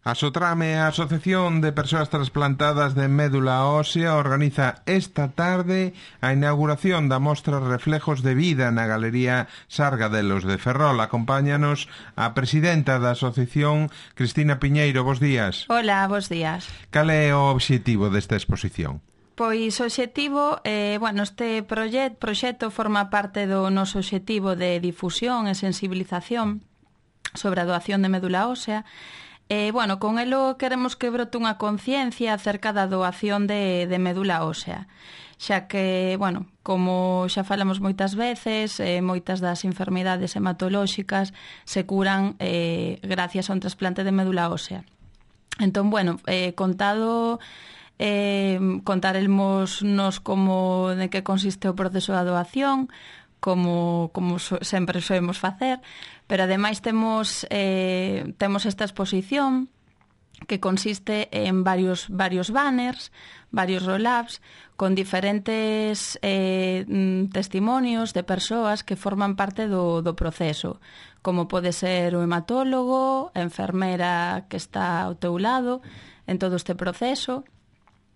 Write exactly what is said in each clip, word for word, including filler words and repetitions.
A Sotrame, a Asociación de Persoas Transplantadas de Médula Ósea, organiza esta tarde a inauguración da mostra Reflejos de Vida na Galería Sargadelos de Ferrol. Acompáñanos a presidenta da asociación, Cristina Piñeiro. Bos días. Hola, bos días. Cal é o obxectivo desta exposición? Pois o obxectivo, eh, bueno, este proxecto, proxecto forma parte do noso obxectivo de difusión e sensibilización sobre a doación de médula ósea. E, bueno, con elo queremos que brote unha conciencia acerca da doación de, de médula ósea, xa que, bueno, como xa falamos moitas veces, eh, moitas das enfermidades hematolóxicas se curan eh, gracias a un trasplante de médula ósea. Entón, bueno, eh, contado... Eh, contaremos nos como de que consiste o proceso da doación, como, como so, sempre soemos facer, pero ademais temos eh, temos esta exposición que consiste en varios varios banners, varios roll-ups con diferentes eh, testimonios de persoas que forman parte do, do proceso, como pode ser o hematólogo, a enfermera que está ao teu lado en todo este proceso,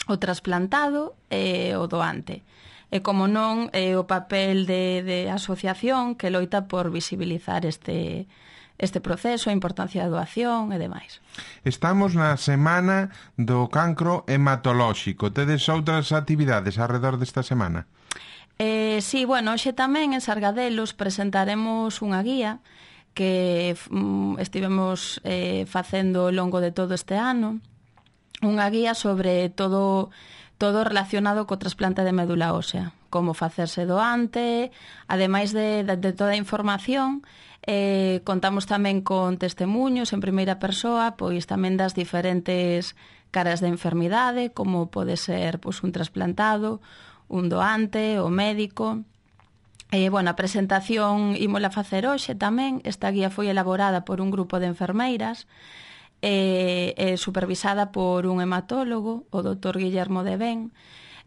o trasplantado e o doante. E como non, é o papel de, de asociación que loita por visibilizar este, este proceso, a importancia da doación e demais. Estamos na semana do cancro hematolóxico. Tedes outras actividades alrededor desta semana? Eh, sí, bueno, hoxe tamén en Sargadelos presentaremos unha guía que mm, estivemos eh, facendo ao longo de todo este ano, unha guía sobre todo todo relacionado co trasplante de médula ósea, como facerse doante, ademais de, de, de toda a información, eh, contamos tamén con testemunhos en primeira persoa, pois tamén das diferentes caras de enfermidade, como pode ser pois, un trasplantado, un doante, o médico. Eh, bueno, a presentación ímola facer hoxe tamén. Esta guía foi elaborada por un grupo de enfermeiras, Eh, eh, supervisada por un hematólogo, o doutor Guillermo de Ben.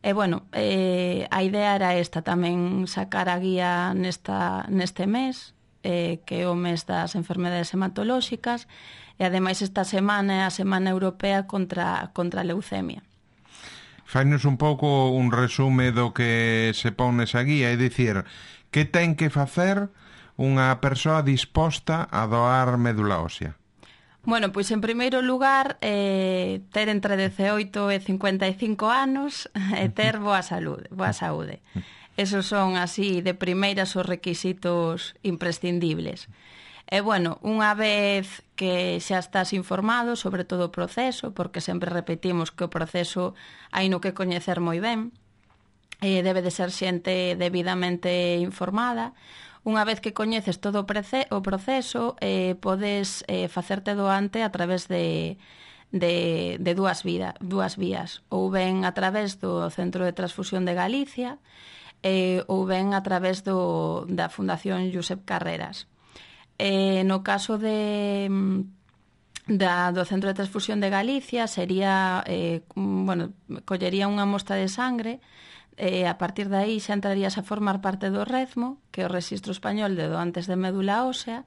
E, bueno, eh, a idea era esta, tamén sacar a guía nesta, neste mes, eh, que é o mes das enfermedades hematolóxicas, e ademais esta semana é a Semana Europea contra, contra a leucemia. Fainos un pouco un resume do que se pon nesa guía, é dicir, que ten que facer unha persoa disposta a doar médula ósea? Bueno, pois en primeiro lugar, eh, ter entre dezaoito e cincuenta e cinco anos e ter boa saúde, boa saúde. Esos son así de primeiras os requisitos imprescindibles. E bueno, unha vez que xa estás informado sobre todo o proceso, porque sempre repetimos que o proceso hai no que coñecer moi ben, eh, debe de ser xente debidamente informada. Unha vez que coñeces todo o proceso, eh, podes eh, facerte doante a través de, de, de dúas, vida, dúas vías. Ou ben a través do Centro de Transfusión de Galicia, eh, ou ben a través do, da Fundación Josep Carreras. Eh, no caso de, da, do Centro de Transfusión de Galicia, sería, eh, bueno, collería unha mostra de sangre. E a partir de aí xa entrarías a formar parte do REZMO, que é o Rexistro Español de Doantes de Médula Ósea,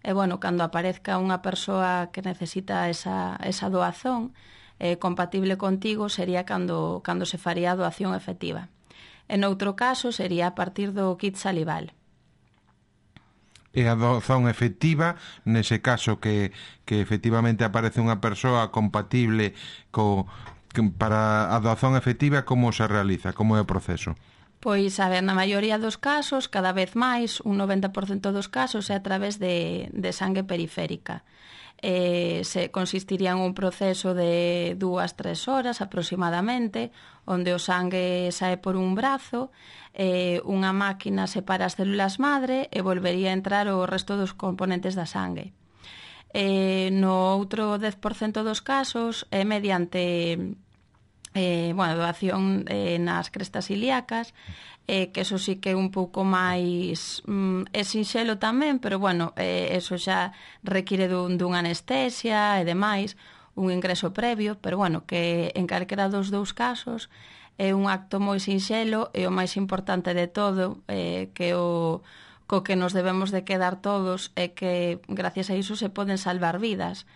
e, bueno, cando aparezca unha persoa que necesita esa, esa doazón eh, compatible contigo, sería cando, cando se faría a doación efectiva. En outro caso, sería a partir do kit salival. E a doazón efectiva, nese caso que, que efectivamente aparece unha persoa compatible co... para a doazón efectiva, como se realiza? Como é o proceso? Pois, a ver, na maioría dos casos, cada vez máis, un noventa por cento dos casos é a través de, de sangue periférica. Eh, se consistiría en un proceso de dúas, tres horas aproximadamente, onde o sangue sae por un brazo, eh, unha máquina separa as células madre e volvería a entrar o resto dos componentes da sangue. Eh, no outro dez por cento dos casos é mediante eh, bueno, doación eh, nas crestas ilíacas, eh, que eso sí que é un pouco máis mm, é sinxelo tamén, pero bueno, eh, eso xa require dun, dunha anestesia e demais, un ingreso previo, pero bueno, que en calquera dos dous casos é un acto moi sinxelo e o máis importante de todo, eh, que o co que nos debemos de quedar todos é que gracias a iso se poden salvar vidas.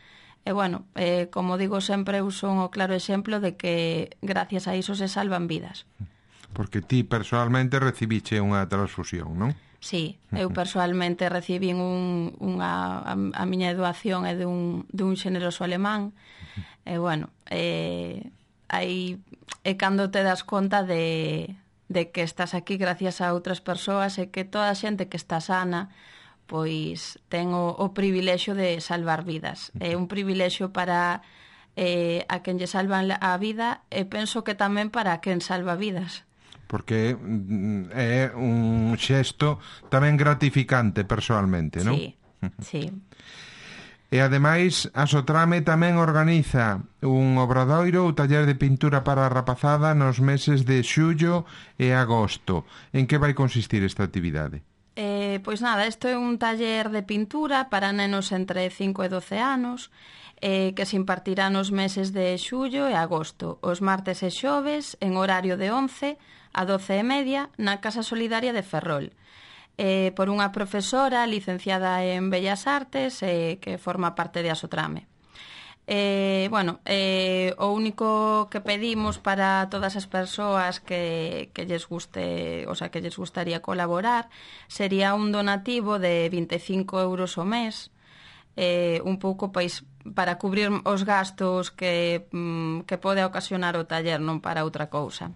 E, bueno, eh, como digo sempre, eu son o claro exemplo de que gracias a iso se salvan vidas. Porque ti personalmente recibiche unha transfusión, non? Sí, eu persoalmente recibín un, unha, a, a miña doación é de un, de un xeneroso alemán. E, bueno, eh, aí é cando te das conta de, de que estás aquí gracias a outras persoas e que toda a xente que está sana pois ten o, o privilexio de salvar vidas. É un privilexio para eh, a quen lle salvan a vida e penso que tamén para quen salva vidas. Porque é un xesto tamén gratificante personalmente, non? Sí, sí. E ademais a Sotrame tamén organiza un obradoiro ou taller de pintura para a rapazada nos meses de xullo e agosto. En que vai consistir esta actividade? Eh, pois nada, isto é un taller de pintura para nenos entre cinco e doce anos eh, que se impartirá nos meses de xullo e agosto, os martes e xoves en horario de once a doce e media na Casa Solidaria de Ferrol, eh, por unha profesora licenciada en Bellas Artes eh, que forma parte de Asotrame. Eh, bueno, eh, o único que pedimos para todas as persoas que, que lles guste, o sea, que lles gustaría colaborar, sería un donativo de vinte e cinco euros ao mes, eh, un pouco pois, para cubrir os gastos que, mm, que pode ocasionar o taller, non para outra cousa.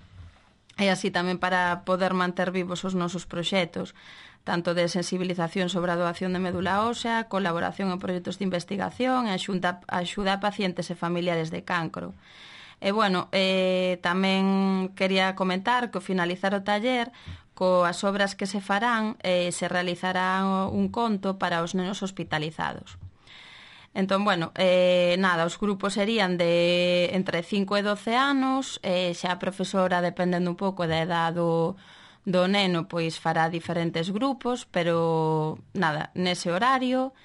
E así tamén para poder manter vivos os nosos proxectos, tanto de sensibilización sobre a doación de médula ósea, colaboración en proxectos de investigación e axuda, axuda a pacientes e familiares de cancro. E, bueno, eh, tamén quería comentar que ao finalizar o taller, coas obras que se farán, eh, se realizará un conto para os nenos hospitalizados. Entón, bueno, eh, nada, os grupos serían de entre cinco e doce anos, eh, xa a profesora, dependendo un pouco da edad do, do neno, pois fará diferentes grupos, pero nada, nese horario,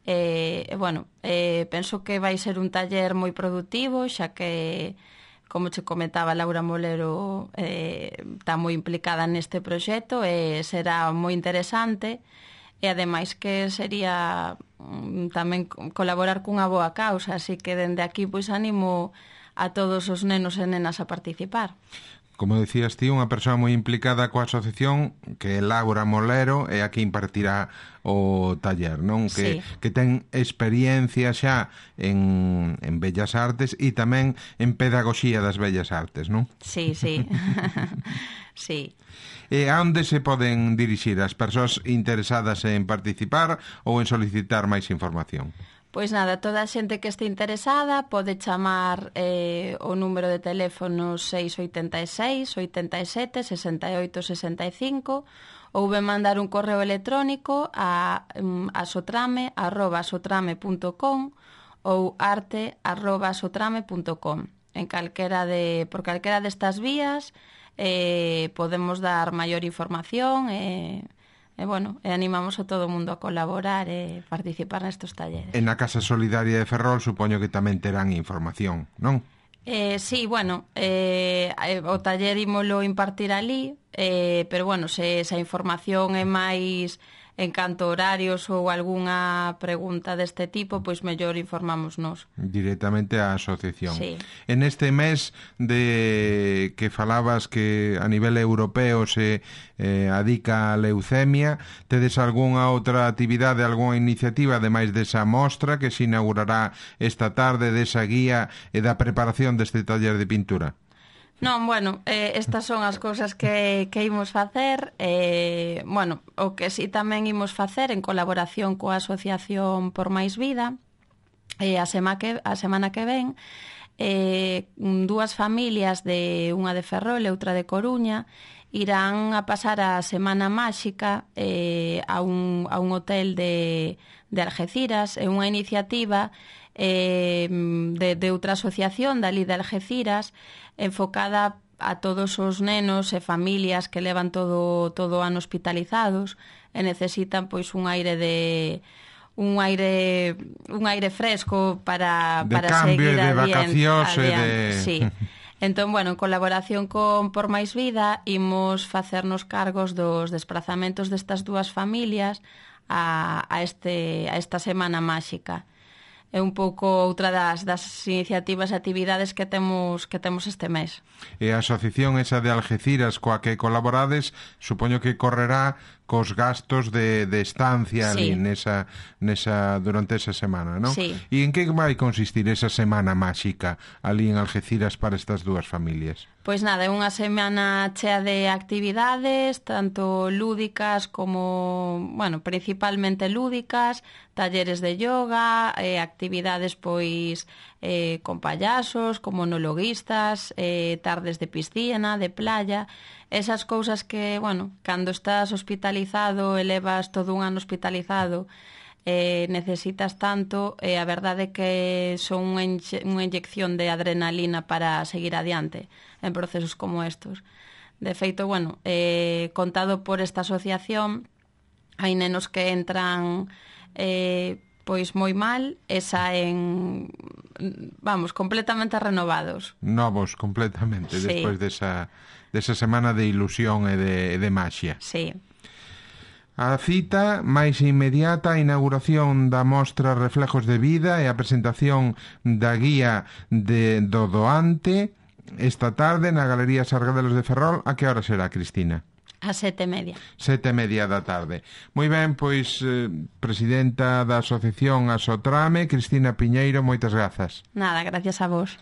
e, eh, bueno, eh, penso que vai ser un taller moi productivo, xa que, como che comentaba, Laura Molero eh, está moi implicada neste proxecto e será moi interesante. E ademais que sería mm, tamén colaborar cunha boa causa, así que dende aquí pois animo a todos os nenos e nenas a participar. Como decías ti, unha persoa moi implicada coa asociación, que é Laura Molero, é a que impartirá o taller, non? Que, sí. que ten experiencia xa en, en Bellas Artes e tamén en Pedagogía das Bellas Artes, non? Sí, sí. Sí. E a onde se poden dirixir as persoas interesadas en participar ou en solicitar máis información? Pois nada, toda a xente que este interesada pode chamar eh, o número de teléfono seis oito seis, oito sete, seis oito seis cinco ou ben mandar un correo electrónico a um, asotrame arroba asotrame punto com ou arte arroba asotrame punto com. En calquera de, por calquera destas vías eh, podemos dar maior información e... E, bueno, e animamos a todo o mundo a colaborar e participar nestes talleres. En a Casa Solidaria de Ferrol supoño que tamén terán información, non? Eh, sí, bueno, eh, o taller ímolo impartir ali, eh, pero, bueno, se esa información é máis en canto horarios ou algunha pregunta deste tipo, pois mellor informámonos. Directamente á asociación. Sí. En este mes de que falabas que a nivel europeo se eh, adica a leucemia, tedes algunha outra actividade, algunha iniciativa, ademais desa mostra que se inaugurará esta tarde, desa guía e da preparación deste taller de pintura? Non, bueno, eh, estas son as cousas que, que imos facer. Eh, bueno, o que si tamén imos facer en colaboración coa Asociación Por Máis Vida, eh, a, sema que, a semana que ven, eh, dúas familias, de unha de Ferrol e outra de Coruña, irán a pasar a Semana Máxica eh, a, un, a un hotel de, de Algeciras. É unha iniciativa eh, de, de outra asociación dali de Algeciras, enfocada a todos os nenos e familias que levan todo todo o ano hospitalizados e necesitan pois un aire de un aire un aire fresco para de para cambio seguir de adiante, vacacións e de sí. Entón, bueno, en colaboración con Por Máis Vida imos facernos cargos dos desplazamentos destas dúas familias a, a este a esta semana máxica. é un pouco outra das, das iniciativas e actividades que temos que temos este mes. E a asociación esa de Algeciras coa que colaborades, supoño que correrá cos gastos de, de estancia sí. ali nesa, nesa, durante esa semana, non? Sí. E en que vai consistir esa semana máxica ali en Algeciras para estas dúas familias? Pois nada, é unha semana chea de actividades, tanto lúdicas como, bueno, principalmente lúdicas, talleres de yoga, eh, actividades pois eh, con payasos, como monologuistas, eh, tardes de piscina, de playa, esas cousas que, bueno, cando estás hospitalizado e levas todo un ano hospitalizado, eh, necesitas tanto, e eh, a verdade é que son unha, inxe, unha inyección de adrenalina para seguir adiante en procesos como estos. De feito, bueno, eh, contado por esta asociación, hai nenos que entran eh, pois moi mal e saen, vamos, completamente renovados. Novos, completamente, sí. despois desa, desa semana de ilusión e de, de maxia. Sí. A cita máis inmediata, a inauguración da mostra Reflejos de Vida e a presentación da guía de, do doante esta tarde na Galería Sargadelos de Ferrol. A que hora será, Cristina? A sete e media. Sete e media da tarde. Moi ben, pois, eh, presidenta da Asociación Asotrame, Cristina Piñeiro, moitas grazas. Nada, gracias a vos.